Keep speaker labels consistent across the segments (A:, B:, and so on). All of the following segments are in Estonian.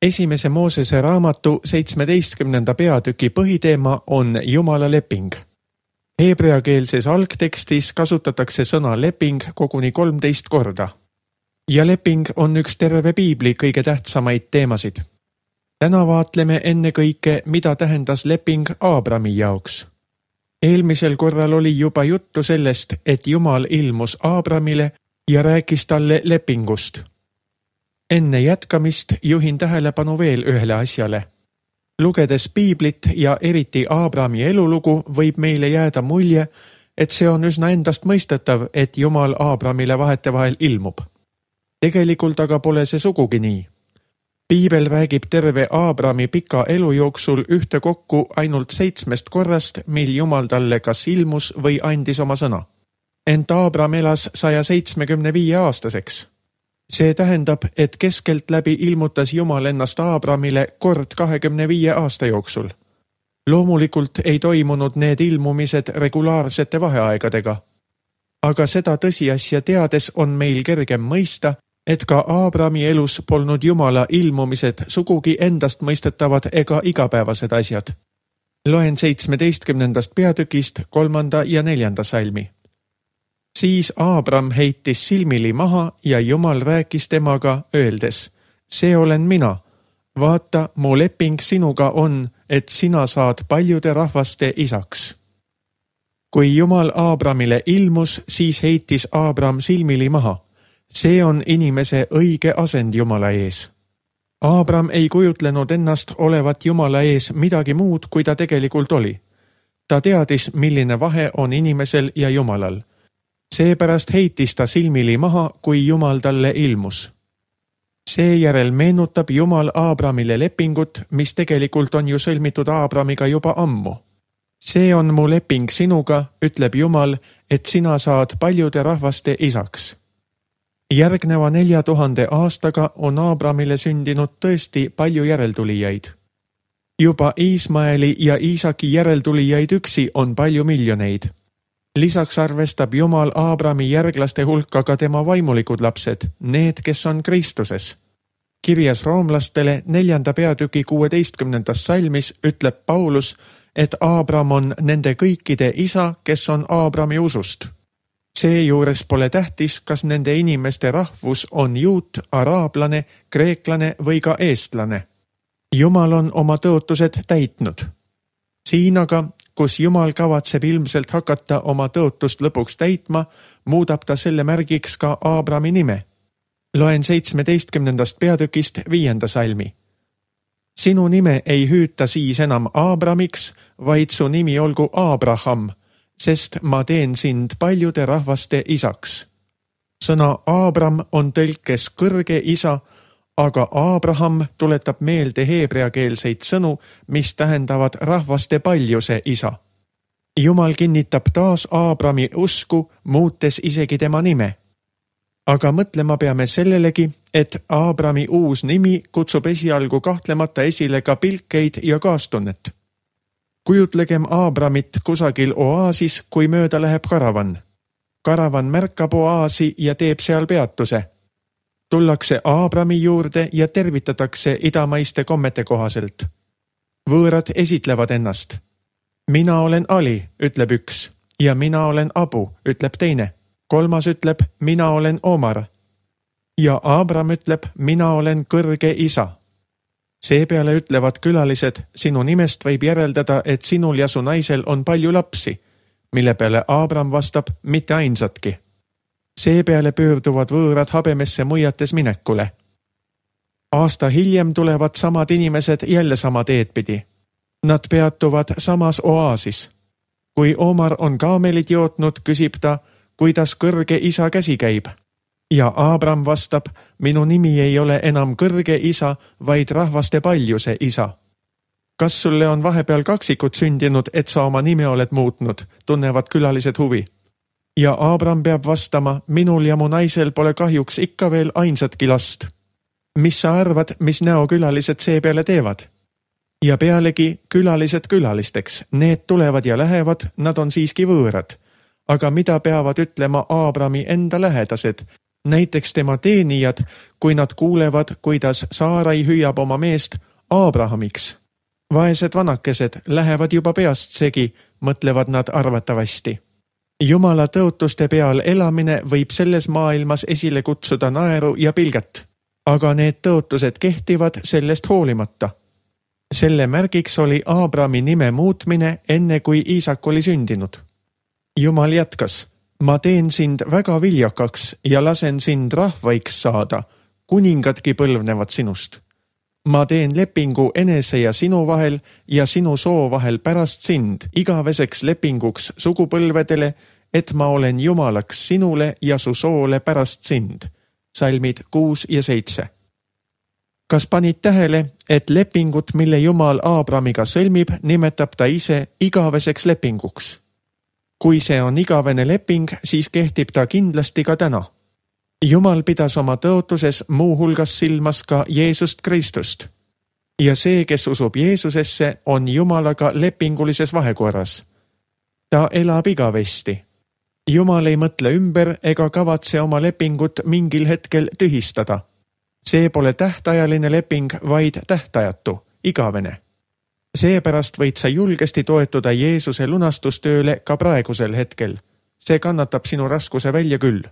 A: Esimese Moosese raamatu 17. peatüki põhiteema on Jumala leping. Heebreakeelses algtekstis kasutatakse sõna leping koguni 13 korda. Ja leping on üks terve piibli kõige tähtsamaid teemasid. Täna vaatleme enne kõike, mida tähendas leping Aabrami jaoks. Eelmisel korral oli juba juttu sellest, et Jumal ilmus Aabramile ja rääkis talle lepingust. Enne jätkamist juhin tähelepanu veel ühele asjale. Lugedes piiblit ja eriti Aabrami elulugu võib meile jääda mulje, et see on üsna endast mõistetav, et Jumal Aabramile vahetevahel ilmub. Tegelikult aga pole see sugugi nii. Piibel räägib terve Aabrami pika elu jooksul ühtekokku ainult 7 korrast, mil Jumal talle kas ilmus või andis oma sõna. Ent Aabram elas 175 aastaseks. See tähendab, et keskelt läbi ilmutas Jumal ennast Aabramile kord 25 aasta jooksul. Loomulikult ei toimunud need ilmumised regulaarsete vaheaegadega. Aga seda tõsiasja teades on meil kergem mõista, et ka Aabrami elus polnud Jumala ilmumised sugugi endast mõistetavad ega igapäevased asjad. Loen 17. peatükist 3. ja 4. salmi. Siis Aabram heitis silmili maha ja Jumal rääkis temaga, öeldes, see olen mina. Vaata, mu leping sinuga on, et sina saad paljude rahvaste isaks. Kui Jumal Aabramile ilmus, siis heitis Aabram silmili maha. See on inimese õige asend Jumala ees. Aabram ei kujutlenud ennast olevat Jumala ees midagi muud, kui ta tegelikult oli. Ta teadis, milline vahe on inimesel ja Jumalal. Seepärast heitis ta silmili maha, kui Jumal talle ilmus. Seejärel meenutab Jumal Aabramile lepingut, mis tegelikult on ju sõlmitud Aabramiga juba ammu. See on mu leping sinuga, ütleb Jumal, et sina saad paljude rahvaste isaks. Järgneva 4000 aastaga on Aabramile sündinud tõesti palju järeltulijaid. Juba Iismaeli ja Iisaki järeltulijaid üksi on palju miljoneid. Lisaks arvestab Jumal Aabrami järglaste hulka ka tema vaimulikud lapsed, need, kes on Kristuses. Kirjas roomlastele 4. peatüki 16. salmis ütleb Paulus, et Aabram on nende kõikide isa, kes on Aabrami usust. Seejuures pole tähtis, kas nende inimeste rahvus on juut, araablane, kreeklane või ka eestlane. Jumal on oma tõotused täitnud. Siin aga, kus Jumal kavatseb ilmselt hakata oma tõotust lõpuks täitma, muudab ta selle märgiks ka Aabrami nime. Loen 17. peatükist 5. salmi. Sinu nime ei hüüta siis enam Aabramiks, vaid su nimi olgu Aabraham, sest ma teen sind paljude rahvaste isaks. Sõna Aabram on tõlkes kõrge isa, aga Aabraham tuletab meelde heebreakeelseid sõnu, mis tähendavad rahvaste paljuse isa. Jumal kinnitab taas Aabrami usku, muutes isegi tema nime. Aga mõtlema peame sellelegi, et Aabrami uus nimi kutsub esialgu kahtlemata esile ka pilkeid ja kaastunnet. Kujutlegem Aabramit kusagil oaasis, kui mööda läheb karavan. Karavan märkab oaasi ja teeb seal peatuse. Tullakse Aabrami juurde ja tervitatakse idamaiste kommete kohaselt. Võõrad esitlevad ennast. Mina olen Ali, ütleb üks, ja mina olen Abu, ütleb teine. Kolmas ütleb, mina olen Omar. Ja Aabram ütleb, mina olen kõrge isa. Seepeale ütlevad külalised, sinu nimest võib järeldada, et sinul ja su naisel on palju lapsi, mille peale Aabram vastab, mitte ainsatki. Seepeale pöörduvad võõrad habemesse muiates minekule. Aasta hiljem tulevad samad inimesed jälle sama teed pidi. Nad peatuvad samas oaasis. Kui Omar on kaamelid jootnud, küsib ta, kuidas kõrge isa käsi käib. Ja Aabram vastab, minu nimi ei ole enam kõrge isa, vaid rahvaste paljuse isa. Kas sulle on vahepeal kaksikud sündinud, et sa oma nime oled muutnud, tunnevad külalised huvi. Ja Aabram peab vastama, minul ja mu naisel pole kahjuks ikka veel ainsatki last. Mis sa arvad, mis näokülalised seepeale teevad? Ja pealegi külalised külalisteks, need tulevad ja lähevad, nad on siiski võõrad. Aga mida peavad ütlema Aabrami enda lähedased, Näiteks tema teenijad, kui nad kuulevad, kuidas Saarai hüüab oma meest Aabrahamiks. Vaesed vanakesed lähevad juba peast segi, mõtlevad nad arvatavasti. Jumala tõotuste peal elamine võib selles maailmas esile kutsuda naeru ja pilget, aga need tõotused kehtivad sellest hoolimata. Selle märgiks oli Aabrami nime muutmine enne kui Iisak oli sündinud. Jumal jätkas, ma teen sind väga viljakaks ja lasen sind rahvaiks saada, kuningadki põlvnevad sinust. Ma teen lepingu enese ja sinu vahel ja sinu soo vahel pärast sind igaveseks lepinguks sugupõlvedele, et ma olen Jumalaks sinule ja su soole pärast sind. Salmid 6 ja 7. Kas panid tähele, et lepingut, mille Jumal Aabramiga sõlmib, nimetab ta ise igaveseks lepinguks? Kui see on igavene leping, siis kehtib ta kindlasti ka täna. Jumal pidas oma tõotuses muu hulgas silmas ka Jeesust Kristust. Ja see, kes usub Jeesusesse, on Jumalaga lepingulises vahekorras. Ta elab igavesti. Jumal ei mõtle ümber ega kavatse oma lepingut mingil hetkel tühistada. See pole tähtajaline leping, vaid tähtajatu, igavene. Seepärast võid sa julgesti toetuda Jeesuse lunastustööle ka praegusel hetkel. See kannatab sinu raskuse välja küll.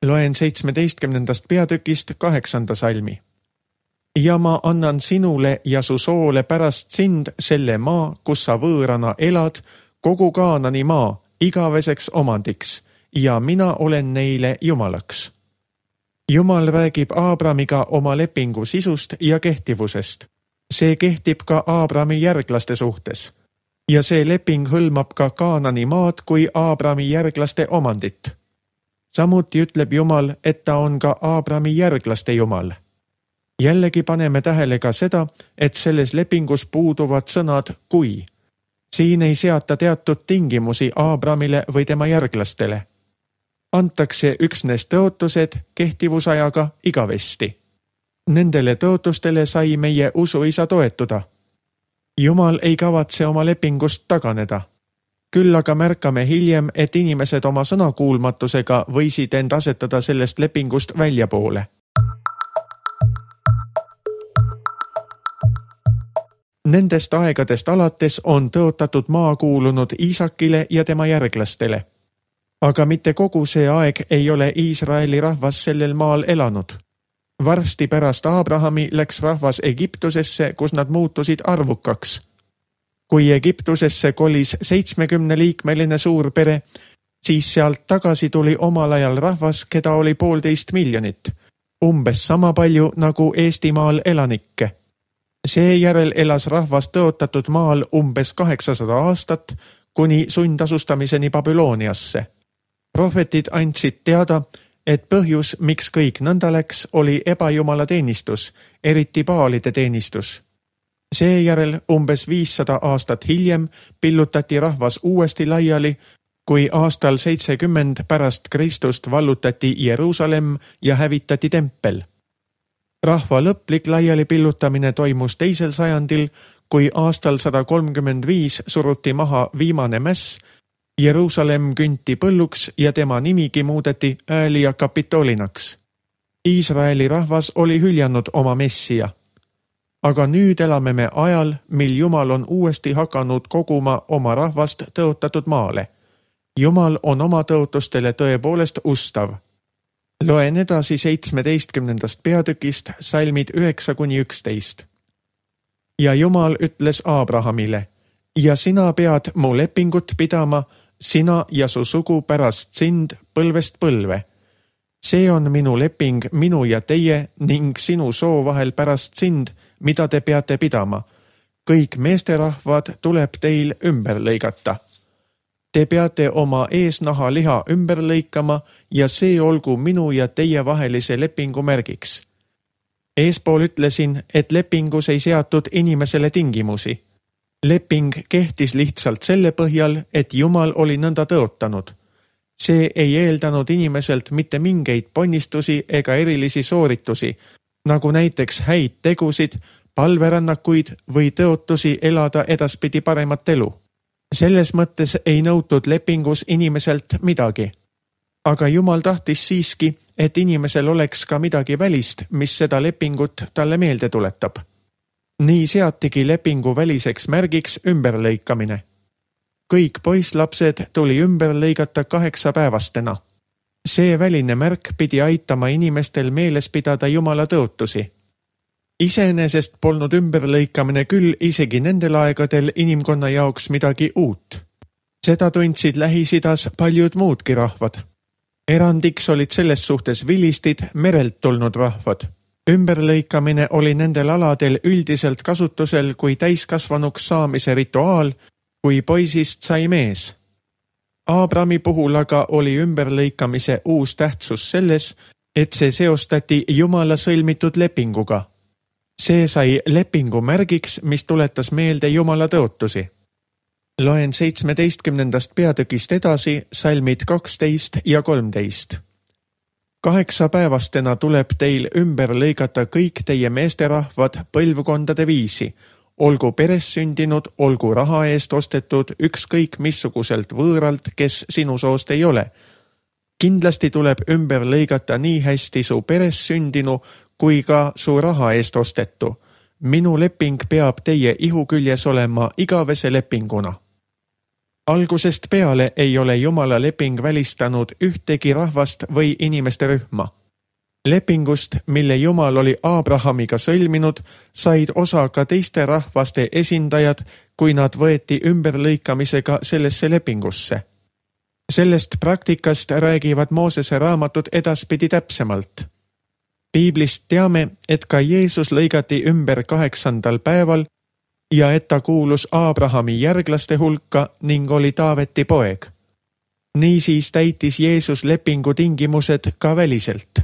A: Loen 17. peatükist 8. salmi. Ja ma annan sinule ja su soole pärast sind selle maa, kus sa võõrana elad, kogu Kaanani maa, igaveseks omandiks, ja mina olen neile Jumalaks. Jumal räägib Aabramiga oma lepingu sisust ja kehtivusest. See kehtib ka Aabrami järglaste suhtes. Ja see leping hõlmab ka Kaanani maad kui Aabrami järglaste omandit. Samuti ütleb Jumal, et ta on ka Aabrami järglaste Jumal. Jällegi paneme tähele ka seda, et selles lepingus puuduvad sõnad kui. Siin ei seata teatud tingimusi Aabramile või tema järglastele. Antakse üksnes tõotused kehtivusajaga igavesti. Nendele tõotustele sai meie usuisa toetuda. Jumal ei kavatse oma lepingust taganeda. Küll aga märkame hiljem, et inimesed oma sõnakuulmatusega võisid end asetada sellest lepingust väljapoole. Nendest aegadest alates on tõotatud maa kuulunud Iisakile ja tema järglastele. Aga mitte kogu see aeg ei ole Iisraeli rahvas sellel maal elanud. Varsti pärast Aabrahami läks rahvas Egiptusesse, kus nad muutusid arvukaks. Kui Egiptusesse kolis 70-liikmeline suurpere, siis sealt tagasi tuli omal ajal rahvas, keda oli 1,5 miljonit, umbes sama palju nagu Eestimaal elanikke. Seejärel elas rahvas tõotatud maal umbes 800 aastat kuni sundasustamisen Babyloniasse. Prohvetid andsid teada, et põhjus, miks kõik nõnda läks, oli ebajumala teenistus, eriti Baalide teenistus. Seejärel umbes 500 aastat hiljem pillutati rahvas uuesti laiali, kui aastal 70 pärast Kristust vallutati Jeruusalemm ja hävitati tempel. Rahva lõplik laiali pillutamine toimus 2. sajandil, kui aastal 135 suruti maha viimane mäss, Jeruusalemm künti põlluks ja tema nimigi muudeti Äälia Kapitolinaks. Iisraeli rahvas oli hüljanud oma messia. Aga nüüd elame me ajal, mil Jumal on uuesti hakanud koguma oma rahvast tõotatud maale. Jumal on oma tõotustele tõepoolest ustav. Loen edasi 17. peatükist salmid 9-11. Ja Jumal ütles Aabrahamile, ja sina pead mu lepingut pidama, sina ja su sugu pärast sind põlvest põlve. See on minu leping minu ja teie ning sinu soo vahel pärast sind, mida te peate pidama. Kõik meesterahvad tuleb teil ümber lõigata. Te peate oma eesnaha liha ümber lõikama ja see olgu minu ja teie vahelise lepingu märgiks. Eespool ütlesin, et lepingus ei seatud inimesele tingimusi. Leping kehtis lihtsalt selle põhjal, et Jumal oli nõnda tõotanud. See ei eeldanud inimeselt mitte mingeid ponnistusi ega erilisi sooritusi, nagu näiteks häid tegusid, palverännakuid või tõotusi elada edaspidi paremat elu. Selles mõttes ei nõutud lepingus inimeselt midagi. Aga Jumal tahtis siiski, et inimesel oleks ka midagi välist, mis seda lepingut talle meelde tuletab. Nii seatigi lepingu väliseks märgiks ümberlõikamine. Kõik poisslapsed tuli ümber lõigata 8-päevastena. See väline märk pidi aitama inimestel meeles pidada Jumala tõotusi. Iseenesest polnud ümberlõikamine küll isegi nendel aegadel inimkonna jaoks midagi uut. Seda tundsid Lähis-Idas paljud muudki rahvad. Erandiks olid selles suhtes vilistid, merelt tulnud rahvad. Ümberlõikamine oli nendel aladel üldiselt kasutusel kui täiskasvanuks saamise rituaal, kui poisist sai mees. Aabrami puhul aga oli ümberlõikamise uus tähtsus selles, et see seostati Jumala sõlmitud lepinguga. See sai lepingu märgiks, mis tuletas meelde Jumala tõotusi. Loen 17. peatükist edasi salmid 12 ja 13. 8-päevastena tuleb teil ümber lõigata kõik teie meesterahvad põlvkondade viisi, olgu peres sündinud, olgu raha eest ostetud, ükskõik missuguselt võõralt, kes sinu soost ei ole. Kindlasti tuleb ümber lõigata nii hästi su peres sündinu kui ka su raha eest ostetu. Minu leping peab teie ihu küljes olema igavese lepinguna. Algusest peale ei ole Jumala leping välistanud ühtegi rahvast või inimeste rühma. Lepingust, mille Jumal oli Aabrahamiga sõlminud, said osa ka teiste rahvaste esindajad, kui nad võeti ümberlõikamisega sellesse lepingusse. Sellest praktikast räägivad Moosese raamatud edaspidi täpsemalt. Piiblist teame, et ka Jeesus lõigati ümber 8. päeval ja et ta kuulus Aabrahami järglaste hulka ning oli Taaveti poeg. Niisiis täitis Jeesus lepingu tingimused ka väliselt.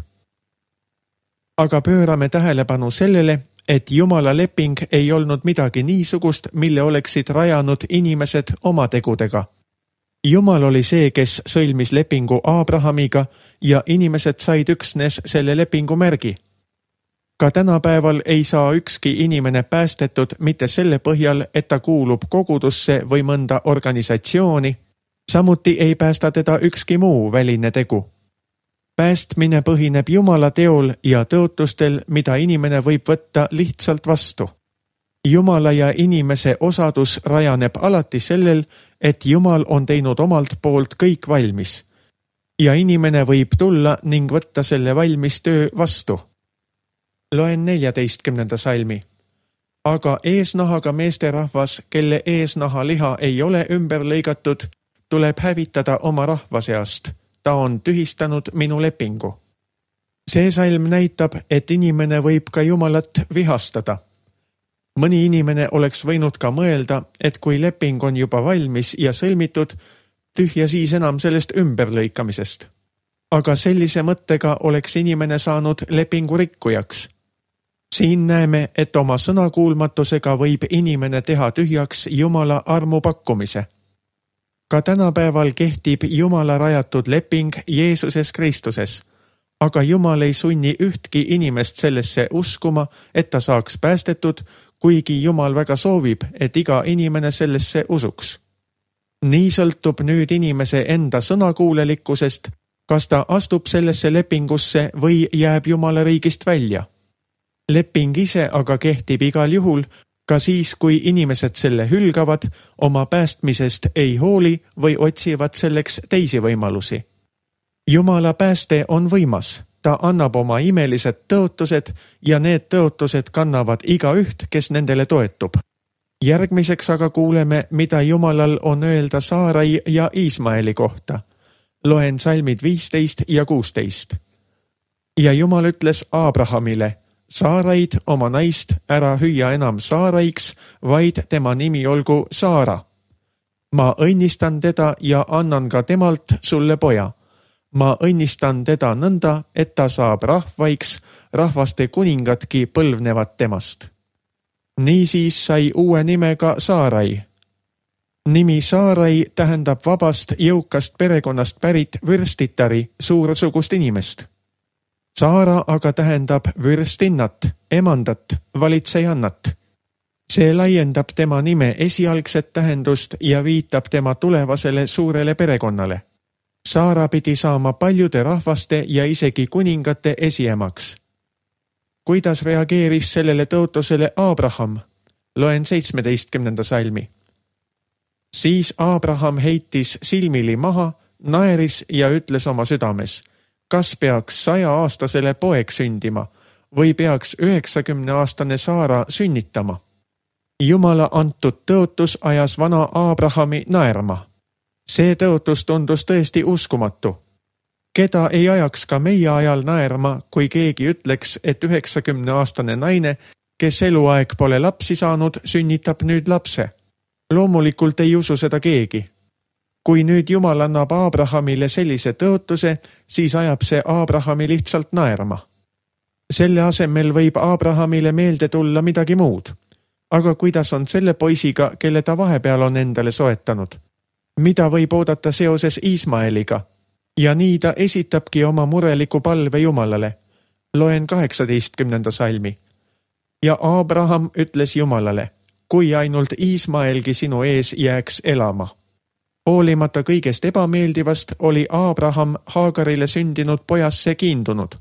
A: Aga pöörame tähelepanu sellele, et Jumala leping ei olnud midagi niisugust, mille oleksid rajanud inimesed oma tegudega. Jumal oli see, kes sõlmis lepingu Aabrahamiga ja inimesed said üksnes selle lepingu märgi. Ka tänapäeval ei saa ükski inimene päästetud mitte selle põhjal, et ta kuulub kogudusse või mõnda organisatsiooni, samuti ei päästa teda ükski muu väline tegu. Päästmine põhineb Jumala teol ja tõotustel, mida inimene võib võtta lihtsalt vastu. Jumala ja inimese osadus rajaneb alati sellel, et Jumal on teinud omalt poolt kõik valmis. Ja inimene võib tulla ning võtta selle valmis töö vastu. Loen 14. salmi. Aga eesnahaga meesterahvas, kelle eesnaha liha ei ole ümber lõigatud, tuleb hävitada oma rahva seast. Ta on tühistanud minu lepingu. See salm näitab, et inimene võib ka Jumalat vihastada. Mõni inimene oleks võinud ka mõelda, et kui leping on juba valmis ja sõlmitud, tühja siis enam sellest ümberlõikamisest. Aga sellise mõttega oleks inimene saanud lepingu rikkujaks. Siin näeme, et oma sõnakuulmatusega võib inimene teha tühjaks Jumala armu pakkumise. Ka tänapäeval kehtib Jumala rajatud leping Jeesuses Kristuses, aga Jumal ei sunni ühtki inimest sellesse uskuma, et ta saaks päästetud, kuigi Jumal väga soovib, et iga inimene sellesse usuks. Nii sõltub nüüd inimese enda sõnakuulelikkusest, kas ta astub sellesse lepingusse või jääb Jumala riigist välja. Leping ise aga kehtib igal juhul, ka siis, kui inimesed selle hülgavad, oma päästmisest ei hooli või otsivad selleks teisi võimalusi. Jumala pääste on võimas, ta annab oma imelised tõotused ja need tõotused kannavad igaüht, kes nendele toetub. Järgmiseks aga kuuleme, mida Jumalal on öelda Saarai ja Iismaeli kohta. Loen salmid 15 ja 16. Ja Jumal ütles Aabrahamile, Saaraid, oma naist, ära hüüa enam Saaraiks, vaid tema nimi olgu Saara. Ma õnnistan teda ja annan ka temalt sulle poja. Ma õnnistan teda nõnda, et ta saab rahvaiks, rahvaste kuningatki põlvnevad temast. Niisiis sai uue nimega Saarai. Nimi Saarai tähendab vabast jõukast perekonnast pärit vürstitari, suursugust inimest. Saara aga tähendab vürstinnat, emandat, valitsejannat. See laiendab tema nime esialgset tähendust ja viitab tema tulevasele suurele perekonnale. Saara pidi saama paljude rahvaste ja isegi kuningate esiemaks. Kuidas reageeris sellele tõotusele Abraham? Loen 17. salmi. Siis Abraham heitis silmili maha, naeris ja ütles oma südames, kas peaks 100-aastasele poeg sündima või peaks 90-aastane Saara sünnitama. Jumala antud tõotus ajas vana Abrahami naerma. See tõotus tundus tõesti uskumatu. Keda ei ajaks ka meie ajal naerma, kui keegi ütleks, et 90-aastane naine, kes eluaeg pole lapsi saanud, sünnitab nüüd lapse. Loomulikult ei usu seda keegi. Kui nüüd Jumal annab Abrahamile sellise tõotuse, siis ajab see Abrahami lihtsalt naerma. Selle asemel võib Abrahamile meelde tulla midagi muud. Aga kuidas on selle poisiga, kelle ta vahepeal on endale soetanud? Mida võib oodata seoses Iismaeliga? Ja nii ta esitabki oma mureliku palve Jumalale. Loen 18. salmi. Ja Abraham ütles Jumalale, kui ainult Iismaelgi sinu ees jääks elama. Hoolimata kõigest ebameeldivast oli Abraham Haagarile sündinud pojasse kiindunud.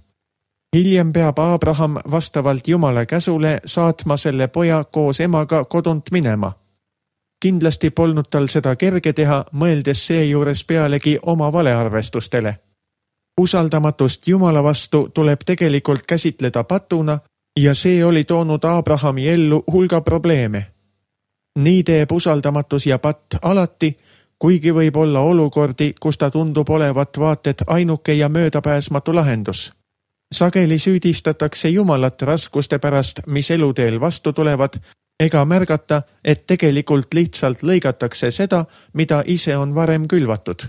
A: Hiljem peab Abraham vastavalt Jumala käsule saatma selle poja koos emaga kodunt minema. Kindlasti polnud tal seda kerge teha, mõeldes seejuures pealegi oma valearvestustele. Usaldamatust Jumala vastu tuleb tegelikult käsitleda patuna ja see oli toonud Abrahami ellu hulga probleeme. Nii teeb usaldamatus ja patt alati, kuigi võib olla olukordi, kus ta tundub olevat vaated ainuke ja möödapääsmatu lahendus. Sageli süüdistatakse Jumalat raskuste pärast, mis eluteel vastu tulevad, ega märgata, et tegelikult lihtsalt lõigatakse seda, mida ise on varem külvatud.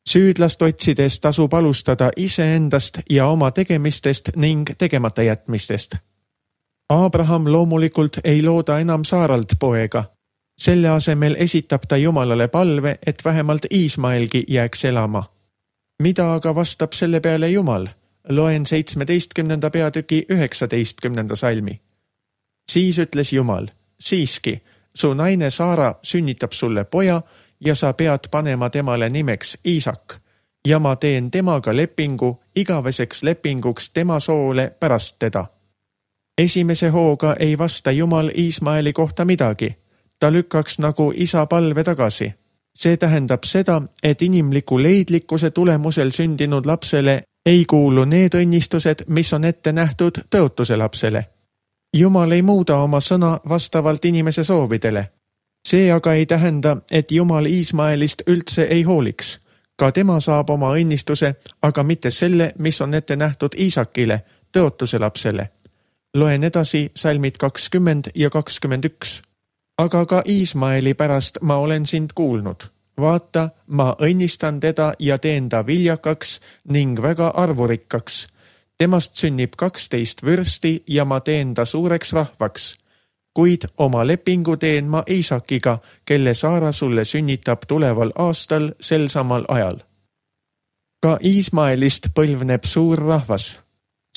A: Süüdlast otsides tasub alustada iseendast ja oma tegemistest ning tegemata jätmistest. Abraham loomulikult ei looda enam Saaralt poega. Selle asemel esitab ta Jumalale palve, et vähemalt Iismaelgi jääks elama. Mida aga vastab selle peale Jumal? Loen 17. peatüki 19. salmi. Siis ütles Jumal, siiski, su naine Saara sünnitab sulle poja ja sa pead panema temale nimeks Iisak ja ma teen temaga lepingu igaveseks lepinguks tema soole pärast teda. Esimese hooga ei vasta Jumal Iismaeli kohta midagi. Ta lükkaks nagu isa palve tagasi. See tähendab seda, et inimliku leidlikkuse tulemusel sündinud lapsele ei kuulu need õnnistused, mis on ette nähtud tõotuse lapsele. Jumal ei muuda oma sõna vastavalt inimese soovidele. See aga ei tähenda, et Jumal Iismaelist üldse ei hooliks. Ka tema saab oma õnnistuse, aga mitte selle, mis on ette nähtud Iisakile, tõotuse lapsele. Loen edasi salmid 20 ja 21. Aga ka Iismaeli pärast ma olen sind kuulnud. Vaata, ma õnnistan teda ja teen ta viljakaks ning väga arvurikkaks. Temast sünnib 12 vürsti ja ma teen ta suureks rahvaks. Kuid oma lepingu teen ma Iisakiga, kelle Saara sulle sünnitab tuleval aastal sel samal ajal. Ka Iismaelist põlvneb suur rahvas.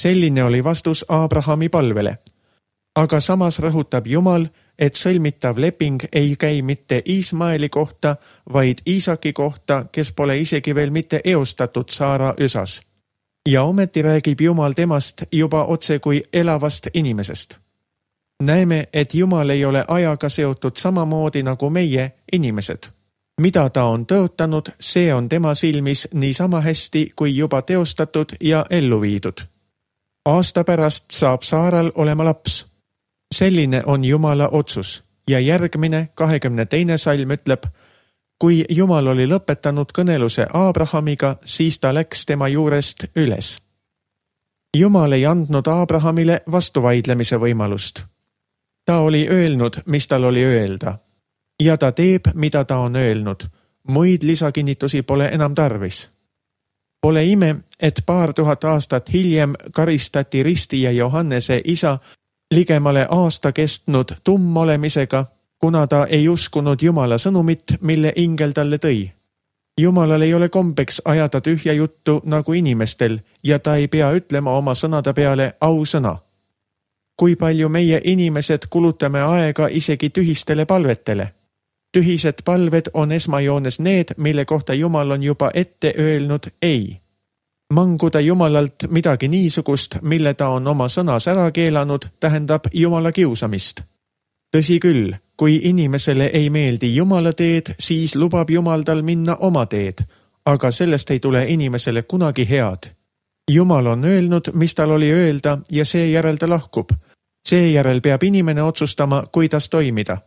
A: Selline oli vastus Abrahami palvele. Aga samas rõhutab Jumal, et sõlmitav leping ei käi mitte Iismaeli kohta, vaid Iisaki kohta, kes pole isegi veel mitte eostatud Saara üsas. Ja ometi räägib Jumal temast juba otse kui elavast inimesest. Näeme, et Jumal ei ole ajaga seotud samamoodi nagu meie inimesed. Mida ta on tõotanud, see on tema silmis nii sama hästi kui juba teostatud ja ellu viidud. Aasta pärast saab Saaral olema laps. Selline on Jumala otsus ja järgmine 22. salm ütleb, kui Jumal oli lõpetanud kõneluse Abrahamiga, siis ta läks tema juurest üles. Jumal ei andnud Abrahamile vastuvaidlemise võimalust. Ta oli öelnud, mis tal oli öelda. Ja ta teeb, mida ta on öelnud. Muid lisakinnitusi pole enam tarvis. Pole ime, et 2000 aastat hiljem karistati Ristija Johannese isa ligemale aasta kestnud tummolemisega, kuna ta ei uskunud Jumala sõnumit, mille ingel talle tõi. Jumalal ei ole kombeks ajada tühja juttu nagu inimestel ja ta ei pea ütlema oma sõnade peale ausõna. Kui palju meie inimesed kulutame aega isegi tühistele palvetele? Tühised palved on esmajoones need, mille kohta Jumal on juba ette öelnud ei. Manguda Jumalalt midagi niisugust, mille ta on oma sõnas ära keelanud, tähendab Jumala kiusamist. Tõsi küll, kui inimesele ei meeldi Jumala teed, siis lubab Jumal tal minna oma teed, aga sellest ei tule inimesele kunagi head. Jumal on öelnud, mis tal oli öelda ja seejärel ta lahkub. Seejärel peab inimene otsustama, kuidas toimida.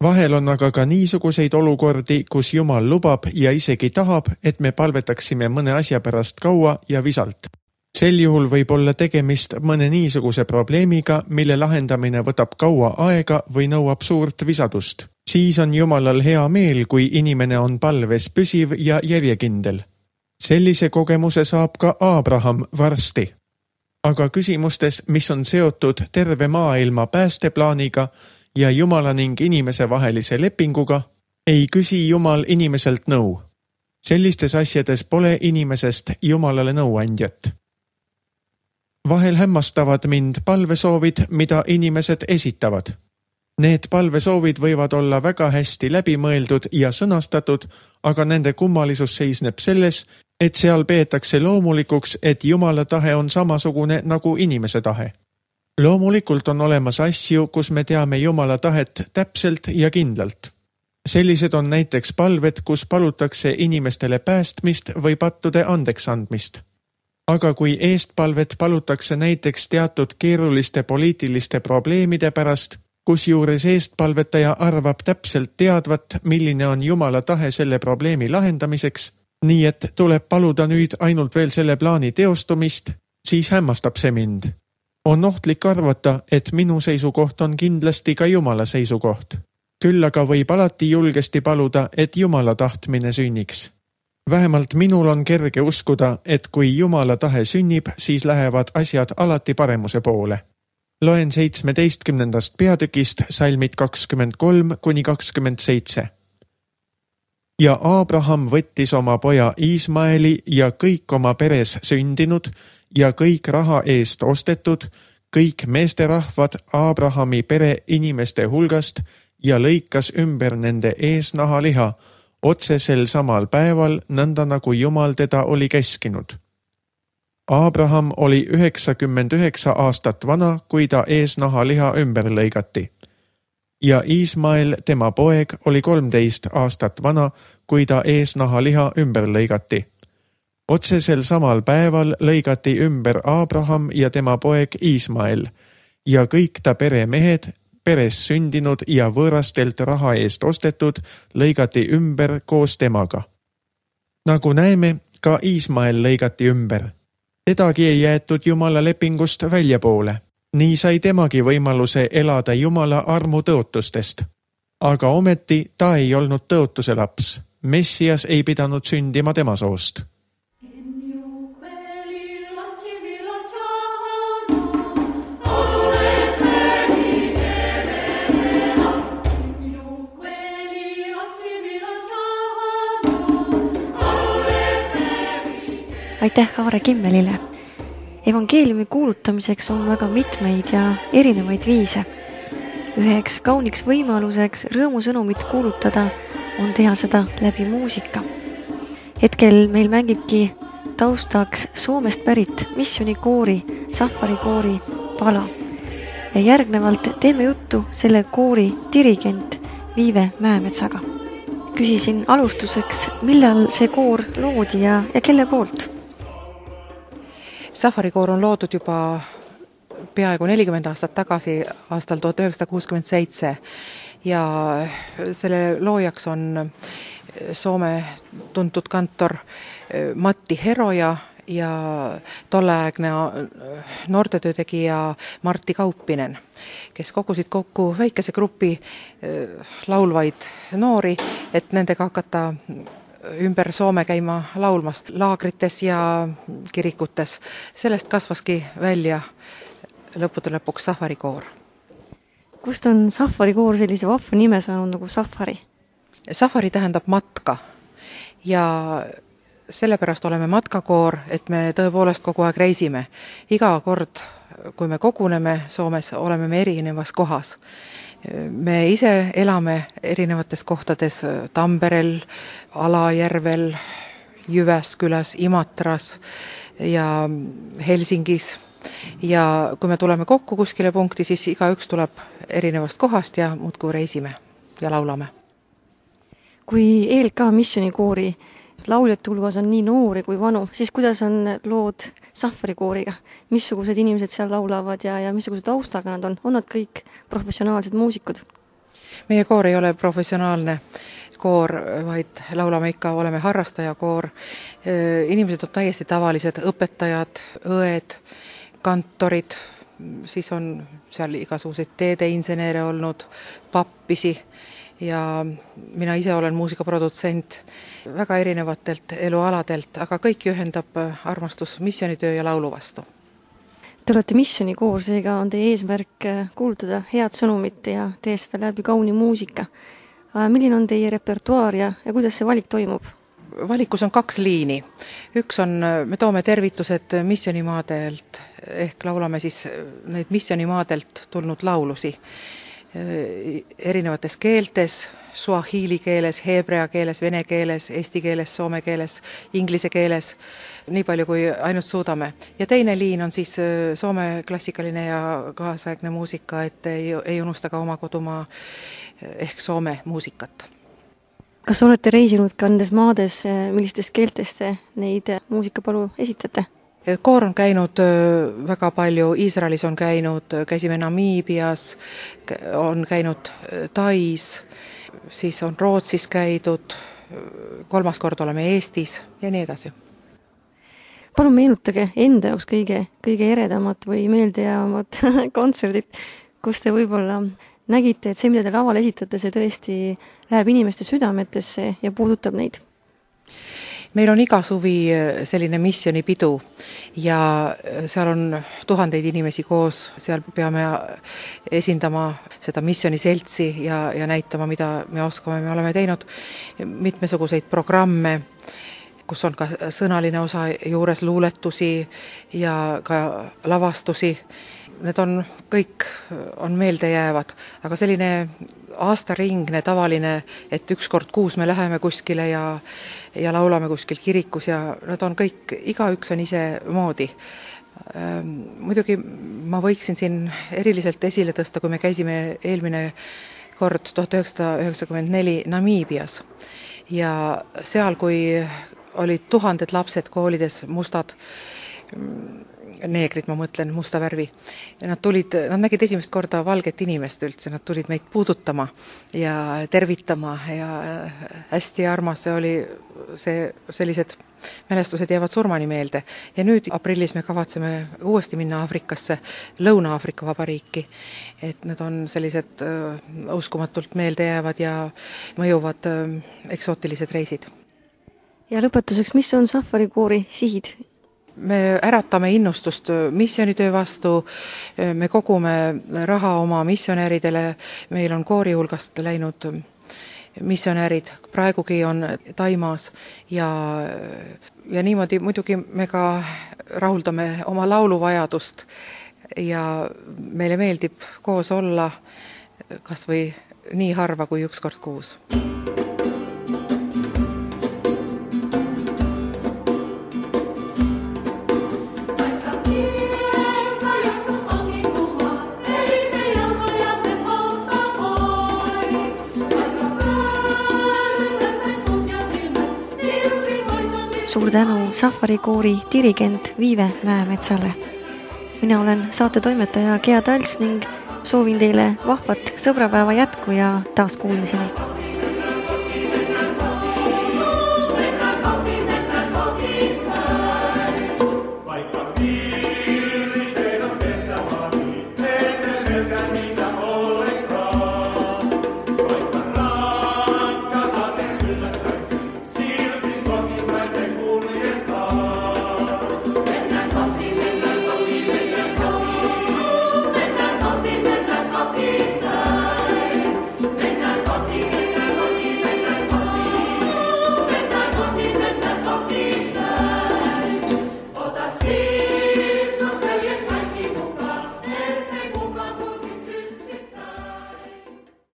A: Vahel on aga ka niisuguseid olukordi, kus Jumal lubab ja isegi tahab, et me palvetaksime mõne asja pärast kaua ja visalt. Sel juhul võib olla tegemist mõne niisuguse probleemiga, mille lahendamine võtab kaua aega või nõuab suurt visadust. Siis on Jumalal hea meel, kui inimene on palves püsiv ja järjekindel. Sellise kogemuse saab ka Abraham varsti. Aga küsimustes, mis on seotud terve maailma päästeplaaniga ja Jumala ning inimese vahelise lepinguga, ei küsi Jumal inimeselt nõu. Sellistes asjades pole inimesest Jumalale nõuandjat. Vahel hämmastavad mind palvesoovid, mida inimesed esitavad. Need palvesoovid võivad olla väga hästi läbimõeldud ja sõnastatud, aga nende kummalisus seisneb selles, et seal peetakse loomulikuks, et Jumala tahe on samasugune nagu inimese tahe. Loomulikult on olemas asju, kus me teame Jumala tahet täpselt ja kindlalt. Sellised on näiteks palved, kus palutakse inimestele päästmist või pattude andeks andmist. Aga kui eestpalvet palutakse näiteks teatud keeruliste poliitiliste probleemide pärast, kusjuures eestpalvetaja arvab täpselt teadvat, milline on Jumala tahe selle probleemi lahendamiseks, nii et tuleb paluda nüüd ainult veel selle plaani teostumist, siis hämmastab see mind. On ohtlik arvata, et minu seisukoht on kindlasti ka Jumala seisukoht. Küll aga võib alati julgesti paluda, et Jumala tahtmine sünniks. Vähemalt minul on kerge uskuda, et kui Jumala tahe sünnib, siis lähevad asjad alati paremuse poole. Loen 17. peatükist salmid 23–27. Ja Abraham võttis oma poja Iismaeli ja kõik oma peres sündinud ja kõik raha eest ostetud, kõik meesterahvad Abrahami pere inimeste hulgast ja lõikas ümber nende eesnahaliha, otsesel samal päeval, nõnda nagu Jumal teda oli käskinud. Abraham oli 99 aastat vana, kui ta eesnahaliha ümber lõigati. Ja Iismael, tema poeg, oli 13 aastat vana, kui ta eesnahaliha ümber lõigati. Otsesel samal päeval lõigati ümber Abraham ja tema poeg Iismael ja kõik ta peremehed, peres sündinud ja võõrastelt raha eest ostetud, lõigati ümber koos temaga. Nagu näeme, ka Iismael lõigati ümber. Tedagi ei jäetud Jumala lepingust väljapoole. Nii sai temagi võimaluse elada Jumala armu tõotustest. Aga ometi ta ei olnud tõotuse laps. Messias ei pidanud sündima tema soost.
B: Aitäh Aare Kimmelile. Evangeeliumi kuulutamiseks on väga mitmeid ja erinevaid viise. Üheks kauniks võimaluseks rõõmusõnumit kuulutada on teha seda läbi muusika. Hetkel meil mängibki taustaks Soomest pärit missionikoori, Safari-koori pala. Ja järgnevalt teeme juttu selle koori dirigent Viive Mäemetsaga. Küsisin alustuseks, millal see koor loodi ja kelle poolt?
C: Safari-koor on loodud juba peaaegu 40 aastat tagasi, aastal 1967 ja selle loojaks on Soome tuntud kantor Matti Heroja ja tolleaegne noortetöötegija Martti Kauppinen, kes kogusid kokku väikese grupi laulvaid noori, et nendega hakata ümber Soome käima laulmas laagrites ja kirikutes. Sellest kasvaski välja lõppude lõpuks Safari-koor.
B: Kust on Safari-koor sellise vahva nime saanud nagu Safari?
C: Safari tähendab matka ja sellepärast oleme matkakoor, et me tõepoolest kogu aeg reisime. Iga kord, kui me koguneme Soomes, oleme me erinevas kohas. Me ise elame erinevates kohtades Tamperel, Alajärvel, Jyväskyläs, Imatras ja Helsingis. Ja kui me tuleme kokku kuskile punkti, siis igaüks tuleb erinevast kohast ja muudkui reisime ja laulame.
B: Kui ELK missionikoori lauljate hulgas on nii noori kui vanu, siis kuidas on lood Safari kooriga? Missugused inimesed seal laulavad ja missugused taustaga nad on? On nad kõik professionaalsed muusikud?
C: Meie koor ei ole professionaalne koor, vaid laulame ikka, oleme harrastajakoor. Inimesed on täiesti tavalised, õpetajad, õed, kantorid, siis on seal igasuguseid teedeinseneere olnud, pappisi ja mina ise olen muusikaprodutsent väga erinevatelt elualadelt, aga kõiki ühendab armastus missionitöö ja laulu vastu.
B: Te olete missionikoor, seega on teie eesmärk kuulutada head sõnumit ja teha seda läbi kauni muusika. Milline on teie repertuaar ja kuidas see valik toimub?
C: Valikus on 2 liini. Üks on, me toome tervitused missionimaadelt, ehk laulame siis neid missionimaadelt tulnud laulusi erinevates keeltes, suahili keeles, heebrea keeles, vene keeles, eesti keeles, soome keeles, inglise keeles, nii palju kui ainult suudame. Ja teine liin on siis soome klassikaline ja kaasaegne muusika, et ei unusta ka oma kodumaa ehk soome muusikat.
B: Kas olete reisinud ka nendes maades, millistest keeltest te neid muusikapalu esitate?
C: Koor on käinud väga palju, Iisraelis on käinud, käisime Namiibias, on käinud Tais, siis on Rootsis käidud, 3. kord oleme Eestis ja nii edasi.
B: Palun meenutage enda jaoks kõige eredamat või meeldejäävat kontserdit, kus te võib-olla nägite, et see, mida te laval esitate, see tõesti läheb inimeste südametesse ja puudutab neid.
C: Meil on iga suvi selline missionipidu ja seal on tuhandeid inimesi koos, seal peame esindama seda missioniseltsi ja näitama, mida me oskame. Me oleme teinud mitmesuguseid programme, kus on ka sõnaline osa juures, luuletusi ja ka lavastusi. Need on kõik on meeldejäävad, aga selline aastaringne tavaline, et 1 kord kuus me läheme kuskile ja laulame kuskil kirikus ja nad on kõik, igaüks on ise moodi. Muidugi ma võiksin siin eriliselt esile tõsta, kui me käisime eelmine kord 1994 Namiibias ja seal, kui olid tuhanded lapsed koolides, mustad neegrid, ma mõtlen, musta värvi. Ja nad nägid esimest korda valget inimest üldse, nad tulid meid puudutama ja tervitama ja hästi armas see oli, sellised mälestused jäävad surmani meelde. Ja nüüd aprillis me kavatseme uuesti minna Aafrikasse, Lõuna-Aafrika Vabariiki, et need on sellised uskumatult meeldejäävad ja mõjuvad eksootilised reisid.
B: Ja lõpetuseks, mis on Safari koori sihid?
C: Me äratame innustust missionitöö vastu, me kogume raha oma missionäridele, meil on koori hulgast läinud missionärid, praegugi on Taimaas ja niimoodi muidugi me ka rahuldame oma lauluvajadust ja meile meeldib koos olla kas või nii harva kui 1 kord kuus.
B: Suur tänu Safari koori dirigent Viive Mäemetsale. Mina olen saate toimetaja Gea Tals ning soovin teile vahvat sõbrapäeva jätku ja taas kuulmiseni.